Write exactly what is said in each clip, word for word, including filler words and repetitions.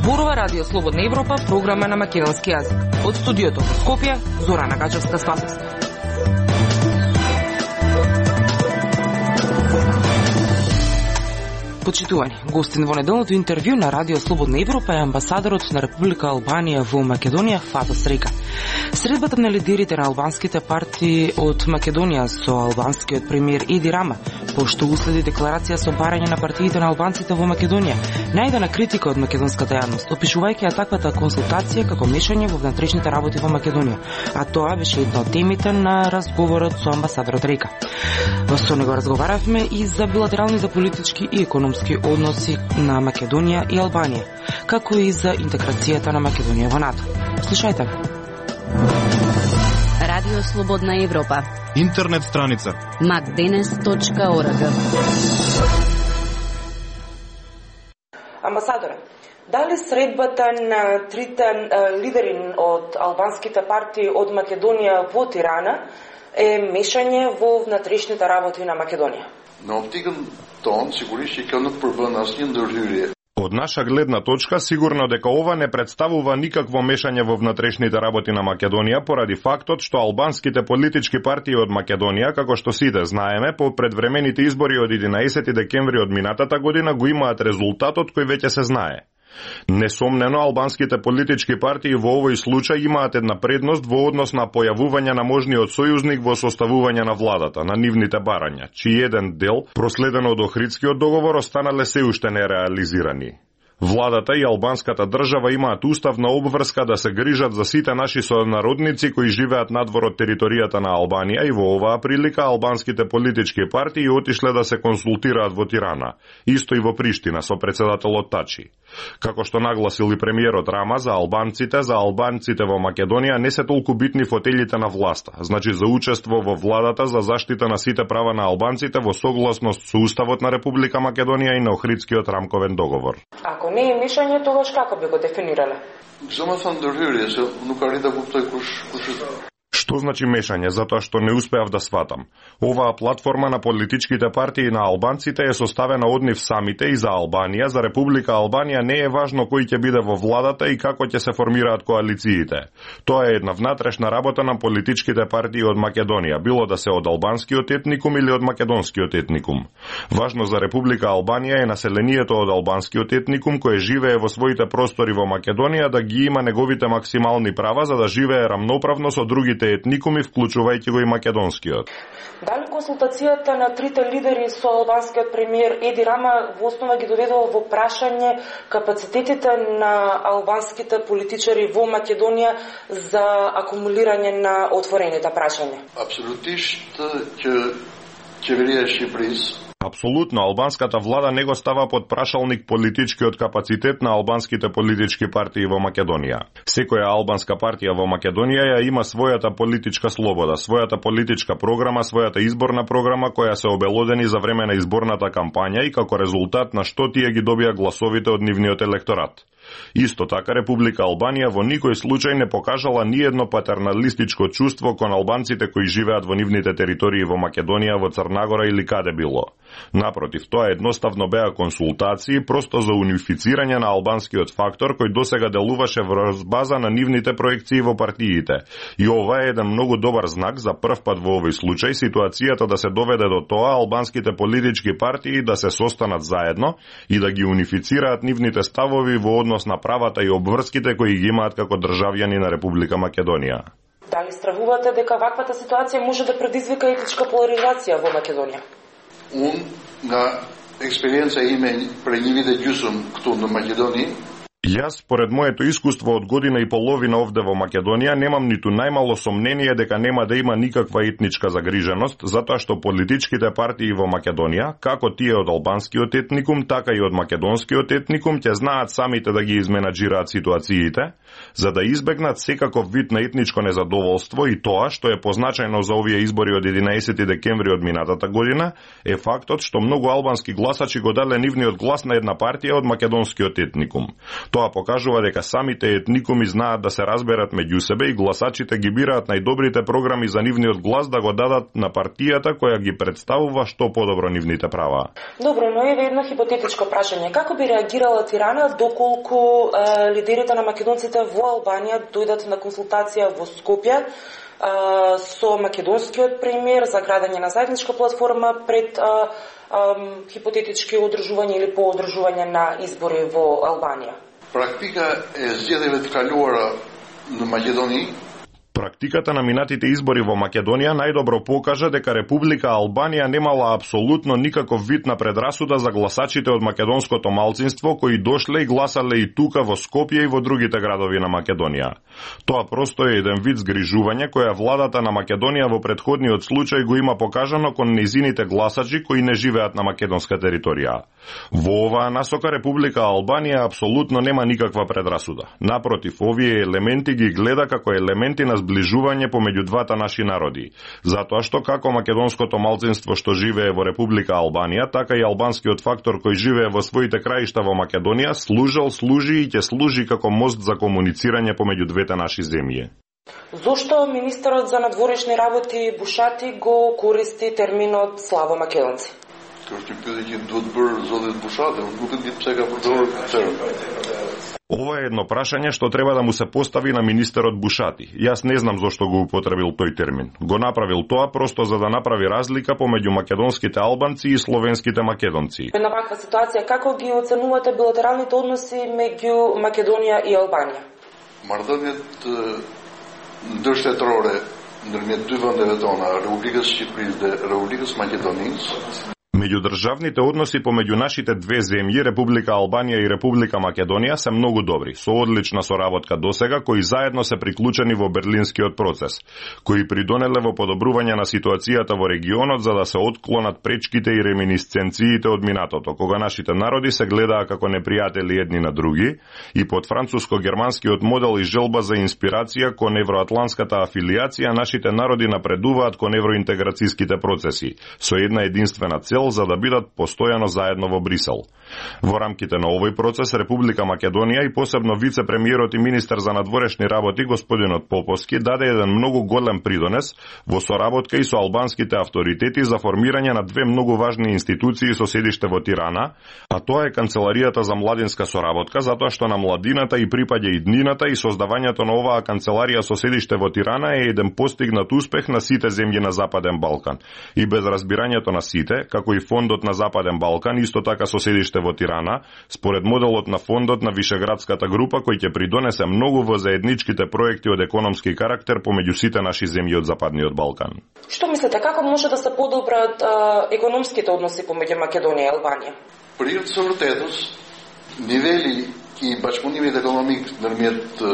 Зборува Радио Слободна Европа, програма на македонски јазик. Од студиото во Скопје, Зорана Гачевска-Спасовска. Почитувани, гостин во неделното интервју на Радио Слободна Европа е амбасадорот на Република Албанија во Македонија Фатос Река. Средбата на лидерите на албанските партии од Македонија со албанскиот премиер Еди Рама, пошто уследи декларација со барање на партиите на албанците во Македонија, најдена критика од македонската јавност, опишувајќи ја таквата консултација како мешање во внатрешните работи во Македонија, а тоа беше една од темите на разговорот со амбасадорот Река. Со него разговаравме и за билатералните политички и економски односи на Македонија и Албанија, како и за интеграцијата на Македонија во НАТО. Слушајте. Радио Слободна Европа. Интернет страница макденес точка орг. Амбасадоре, дали средбата на трите лидери од албанските партии од Македонија во Тирана е мешање во внатрешните работи на Македонија? Në optikën tonë, sigurisht që kjo nuk përbën asnjë ndërhyrje. Од наша гледна точка, сигурно дека ова не представува никакво мешање во внатрешните работи на Македонија поради фактот што албанските политички партии од Македонија, како што сите знаеме, по предвремените избори од единаесети декември од минатата година го имаат резултатот кој веќе се знае. Несомнено, албанските политички партии во овој случај имаат една предност во однос на појавување на можниот сојузник во составување на владата, на нивните барања, чиј еден дел, проследено од Охридскиот договор, останале се уште нереализирани. Владата и албанската држава имаат уставна обврска да се грижат за сите наши сонародници кои живеат надвор од територијата на Албанија и во оваа прилика албанските политички партии отишле да се консултираат во Тирана, исто и во Приштина со претседателот Тачи. Како што нагласил и премиерот Рама, за албанците, за албанците во Македонија не се толку битни фотелите на власта, значи за учество во владата за заштита на сите права на албанците во согласност со Уставот на Република Македонија и на Охридскиот рамковен договор. Ако не е мешање, тогаш како би го дефинирале? Зама thënë ndërhyrje, se nuk arrit ta kuptoj kush kush është. Што значи мешање? Затоа што не успеав да сватам. Оваа платформа на политичките партии на албанците е составена од нив самите и за Албанија, за Република Албанија не е важно кој ќе биде во владата и како ќе се формираат коалициите. Тоа е една внатрешна работа на политичките партии од Македонија, било да се од албанскиот етникум или од македонскиот етникум. Важно за Република Албанија е населението од албанскиот етникум кој живее во своите простори во Македонија да ги има неговите максимални права за да живее рамноправно со другите етникуми, вклучувајќи го и македонскиот. Дали консултацијата на трите лидери со албанскиот премиер Еди Рама во основа ги доведува во прашање капацитетите на албанските политичари во Македонија за акумулирање на отворените прашања? Апсолутисht që qeveria e Shqipërisë Апсолутно, албанската влада не го става под прашалник политичкиот капацитет на албанските политички партии во Македонија. Секоја албанска партија во Македонија ја има својата политичка слобода, својата политичка програма, својата изборна програма која се обелодени за време на изборната кампања и како резултат на што тие ги добија гласовите од нивниот електорат. Исто така, Република Албанија во никој случај не покажала ниедно патерналистичко чувство кон албанците кои живеат во нивните територии во Македонија, во Црнагора или каде било. Напротив, тоа едноставно беа консултации просто за унифицирање на албанскиот фактор кој досега делуваше врз база на нивните проекции во партиите. И ова е еден многу добар знак за прв пат во овој случај ситуацијата да се доведе до тоа албанските политички партии да се состанат заедно и да ги унифицираат нивните ставови во однос на правата и обврските кои ги имаат како државјани на Република Македонија. Дали стравувате дека ваквата ситуација може да предизвика етничка поларизација во Македонија? Unë nga eksperienca ime për një vit e gjysmë këtu në Maqedoni. Јас, според моето искуство од година и половина овде во Македонија, немам ниту најмало сомнение дека нема да има никаква етничка загриженост, затоа што политичките партии во Македонија, како тие од албанскиот етникум, така и од македонскиот етникум, ќе знаат самите да ги изменаџираат ситуациите, за да избегнат секаков вид на етничко незадоволство и тоа, што е позначајно за овие избори од единаесети декември од минатата година, е фактот што многу албански гласачи го дале нивниот глас на една партија од македонскиот етникум. Тоа покажува дека самите етникуми знаат да се разберат меѓу себе и гласачите ги бираат најдобрите програми за нивниот глас да го дадат на партијата која ги представува што подобро нивните права. Добро, но еве едно хипотетичко прашање. Како би реагирала Тирана доколку е, лидерите на македонците во Албанија дојдат на консултација во Скопје е, со македонскиот премиер за градење на заедничка платформа пред е, е, хипотетички одржување или поодржување на избори во Албанија? Практика е згjedhjeve të kaluara në Maqedoni. Практиката на минатите избори во Македонија најдобро покажа дека Република Албанија немала апсолутно никаков вид на предрасуда за гласачите од македонското малцинство кои дошле и гласале и тука во Скопје и во другите градови на Македонија. Тоа просто е еден вид згрижување која владата на Македонија во претходниот случај го има покажано кон нејзините гласачи кои не живеат на македонска територија. Во оваа насока Република Албанија апсолутно нема никаква предрасуда. Напротив, овие елементи ги гледа како елементи на зближување помеѓу двата наши народи, затоа што како македонското малцинство што живее во Република Албанија, така и албанскиот фактор кој живее во своите краишта во Македонија служел, служи и ќе служи како мост за комуницирање помеѓу двете наши земји. Зошто министерот за надворешни работи Бушати го користи терминот славо македонци? Kjo është një pyetje që duhet bërë zotit Bushati, nuk e di pse ka përdorur këtë term. Ова е едно прашање што треба да му се постави на министерот Бушати. Јас не знам зошто го употребил тој термин. Го направил тоа просто за да направи разлика помеѓу македонските албанци и словенските македонци. На ваква ситуација како ги оценувате билатералните односи меѓу Македонија и Албанија? Marrëdhëniet ndërshtetërore ndërmjet dy vendeve tona, Republikës së Shqipërisë dhe Republikës së Maqedonisë, Меѓудржавните односи помеѓу нашите две земји, Република Албанија и Република Македонија, се многу добри, со одлична соработка досега, кои заедно се приклучени во Берлинскиот процес, кои придонеле во подобрување на ситуацијата во регионот за да се отклонат пречките и реминисценциите од минатото, кога нашите народи се гледаа како непријатели едни на други, и под француско-германскиот модел и желба за инспирација кон евроатланската афилијација, нашите народи напредуваат кон евроинтеграцијските процеси, со една единствена цел за да бидат постојано заедно во Брисел. Во рамките на овој процес Република Македонија и посебно вице-премиерот и министер за надворешни работи господинот Поповски даде еден многу голем придонес во соработка и со албанските авторитети за формирање на две многу важни институции со седиште во Тирана, а тоа е Канцеларијата за младинска соработка, затоа што на младината и припаѓа иднината и создавањето на оваа канцеларија со седиште во Тирана е еден постигнат успех на сите земји на Западен Балкан. И без разбирањето на сите, како и Фондот на Западен Балкан, исто така со седиште во Тирана, според моделот на Фондот на Вишеградската група, кој ќе придонесе многу во заедничките проекти од економски карактер помеѓу сите наши земји од Западниот Балкан. Што мислите, како може да се подобрат економските односи помеѓу Македонија и Албанија? Për hir të së vërtetës, niveli i bashkëpunimit ekonomik ndërmjet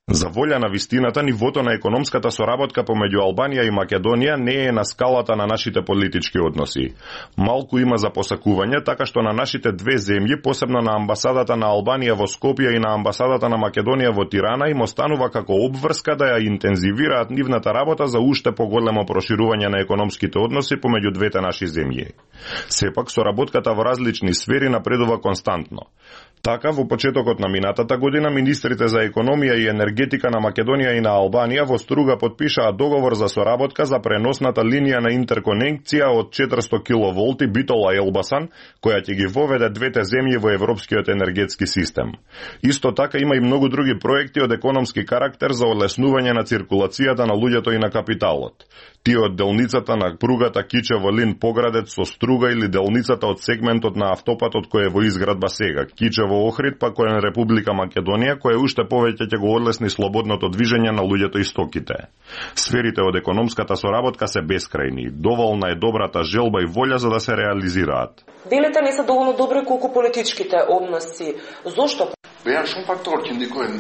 За волја на вистината, нивото на економската соработка помеѓу Албанија и Македонија не е на скалата на нашите политички односи. Малку има за посакување, така што на нашите две земји, посебно на амбасадата на Албанија во Скопје и на амбасадата на Македонија во Тирана, им останува како обврска да ја интензивираат нивната работа за уште поголемо проширување на економските односи помеѓу двете наши земји. Сепак, соработката во различни сфери напредува константно. Така, во почетокот на минатата година, министрите за економија и енергетика на Македонија и на Албанија во Струга потпишаа договор за соработка за преносната линија на интерконекција од четиристо киловолти Битола-Елбасан, која ќе ги воведе двете земји во европскиот енергетски систем. Исто така има и многу други проекти од економски карактер за олеснување на циркулацијата на луѓето и на капиталот. Тие од делницата на пругата Кичево-Лин-Поградец со Струга или делницата од сегментот на автопатот кој е во изградба сега, Кичево-Охрид, па кој е Република Македонија, кој уште повеќе ќе го одлесни слободното движење на луѓето и стоките. Сферите од економската соработка се бескрајни. Доволна е добрата желба и волја за да се реализираат. Делите не се доволно добри колку политичките односи. Зошто? Беа шум факторë që ndikojnë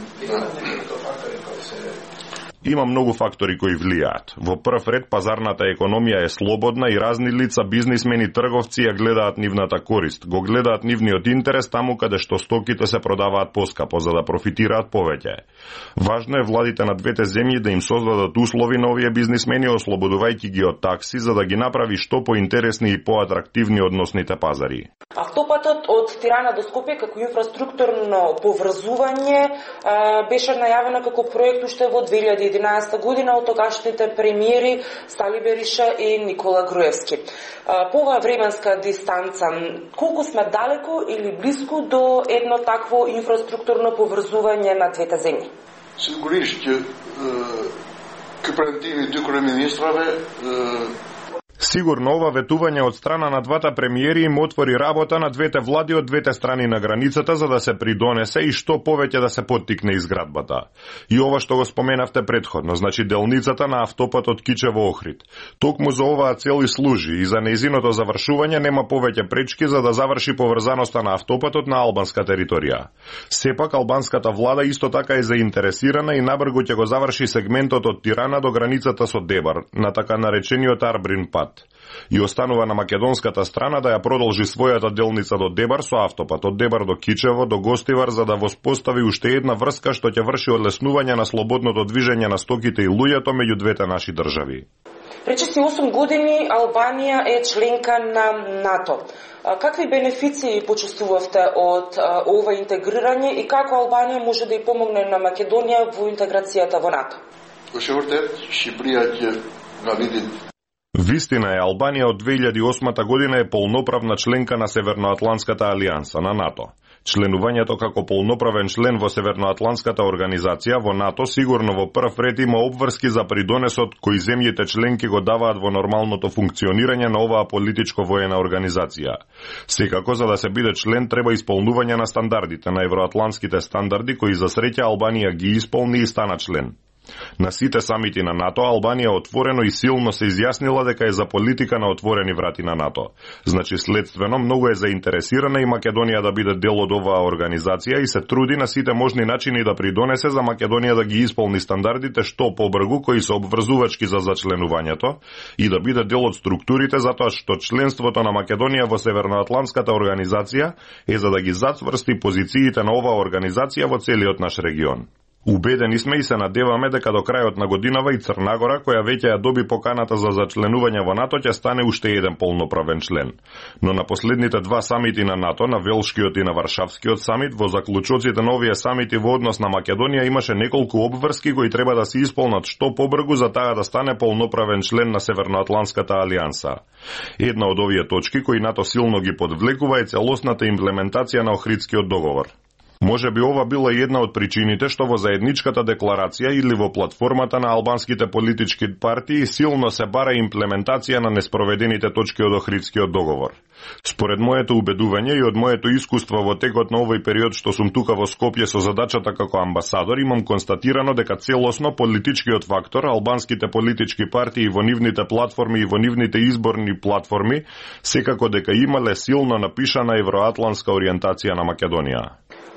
Има многу фактори кои влијаат. Во прв ред пазарната економија е слободна и разни лица, бизнисмени, трговци ја гледаат нивната корист. Го гледаат нивниот интерес таму каде што стоките се продаваат поскапо за да профитираат повеќе. Важно е владите на двете земји да им создадат услови на овие бизнисмени, ослободувајќи ги од такси за да ги направи што поинтересни и поатрактивни односните пазари. Автопатот од Тирана до Скопје како инфраструктурно поврзување беше најавено како проект уште во две илјади и единаесета година од тогашните премиери Стали Бериша и Никола Груевски. По оваа временска дистанца, колку сме далеко или близко до едно такво инфраструктурно поврзување на двете земји? Сигурно ке претиви dy креминистраве Сигурно ова ветување од страна на двата премиери им отвори работа на двете влади од двете страни на границата за да се придонесе и што повеќе да се поттикне изградбата. И ова што го споменавте предходно, значи делницата на автопатот Кичево-Охрид. Токму за оваа цел и служи и за нејзиното завршување нема повеќе пречки за да заврши поврзаноста на автопатот на албанска територија. Сепак албанската влада исто така е заинтересирана и набргу ќе го заврши сегментот од Тирана до границата со Дебар, на така наречениот Арбрин пат. И останува на македонската страна да ја продолжи својата делница до Дебар со автопат од Дебар до Кичево до Гостивар за да воспостави уште една врска што ќе врши олеснување на слободното движење на стоките и луѓето меѓу двете наши држави. Речиси осум години Албанија е членка на НАТО. Какви бенефиции почувствувавте од ова интегрирање и како Албанија може да ја помогне на Македонија во интеграцијата во НАТО? Кој вртет, Шиприја ќе навиди. Вистина е, Албанија од две илјади и осма година е полноправна членка на Северноатлантската алијанса, на НАТО. Членувањето како полноправен член во Северноатлантската организација во НАТО сигурно во прв ред има обврски за придонесот кои земјите членки го даваат во нормалното функционирање на оваа политичко-воена организација. Секако, за да се биде член, треба исполнување на стандардите, на евроатлантските стандарди, кои за среќа Албанија ги исполни и стана член. На сите самити на НАТО, Албанија отворено и силно се изјаснила дека е за политика на отворени врати на НАТО. Значи, следствено, многу е заинтересирана и Македонија да биде дел од оваа организација и се труди на сите можни начини да придонесе за Македонија да ги исполни стандардите што побргу кои се обврзувачки за зачленувањето и да биде дел од структурите затоа што членството на Македонија во Северноатлантската организација е за да ги зацврсти позициите на оваа организација во целиот наш регион. Убедени сме и се надеваме дека до крајот на годинава и Црнагора, која веќе ја доби поканата за зачленување во НАТО, ќе стане уште еден полноправен член. Но на последните два самити на НАТО, на Велшкиот и на Варшавскиот самит, во заклучоците на овие самити во однос на Македонија имаше неколку обврски кои треба да се исполнат што побргу за таа да стане полноправен член на Северноатлантската алијанса. Една од овие точки кои НАТО силно ги подвлекува е целосната имплементација на Охридскиот договор. Може би ова била една од причините што во заедничката декларација или во платформата на албанските политички партии силно се бара имплементација на неспроведените точки од Охридскиот договор. Според моето убедување и од моето искуство во текот на овој период што сум тука во Скопје со задачата како амбасадор, имам констатирано дека целосно политичкиот фактор, албанските политички партии во нивните платформи и во нивните изборни платформи, секако дека имале силно напишана евроатлантска ориентација на Македонија.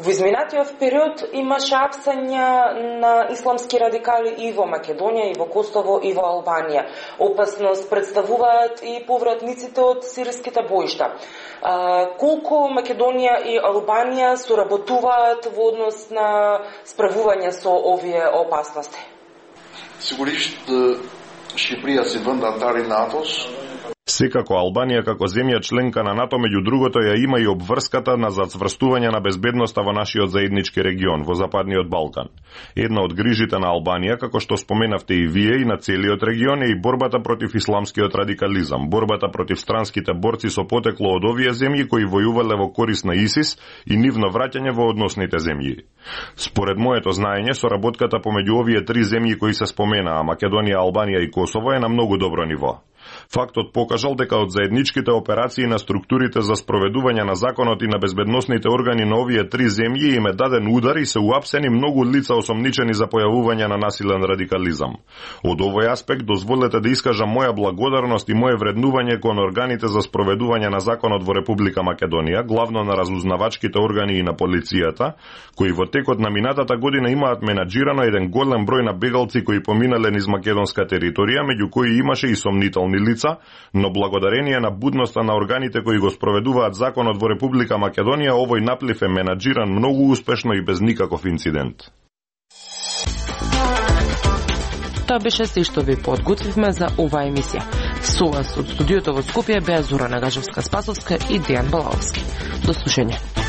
Во изминатиот период имаше апсања на исламски радикали и во Македонија, и во Косово, и во Албанија. Опасност представуваат и повратниците од сириските боишта. А, колку Македонија и Албанија соработуваат во однос на справување со овие опасности? Сигурно Шиприја се вend антари НАТОс. Секако Албанија како земја членка на НАТО меѓу другото ја има и обврската на зацврстување на безбедноста во нашиот заеднички регион, во Западниот Балкан. Една од грижите на Албанија, како што споменавте и вие и на целиот регион, е и борбата против исламскиот радикализам, борбата против странските борци со потекло од овие земји кои војувале во корист на ИСИС и нивно враќање во односните земји. Според моето знаење, соработката помеѓу овие три земји кои се споменаа, Македонија, Албанија и Косово, е на многу добро ниво. Фактот покажал дека од заедничките операции на структурите за спроведување на законот и на безбедносните органи на овие три земји им е даден удар и се уапсени многу лица осомничени за појавување на насилен радикализам. Од овој аспект дозволете да искажам моја благодарност и моје вреднување кон органите за спроведување на законот во Република Македонија, главно на разузнавачките органи и на полицијата, кои во текот на минатата година имаат менаџирано еден голем број на бегалци кои поминале низ македонска територија, меѓу кои имаше и сомнителни лица, но благодарение на будноста на органите кои го спроведуваат законот во Република Македонија, овој наплив е менаџиран многу успешно и без никаков инцидент. Тоа беше се што ви подготвивме за оваа емисија. Со вас од студиото во Скопје беа Зора Нагажевска-Спасовска и Дејан Балаовски. До слушање.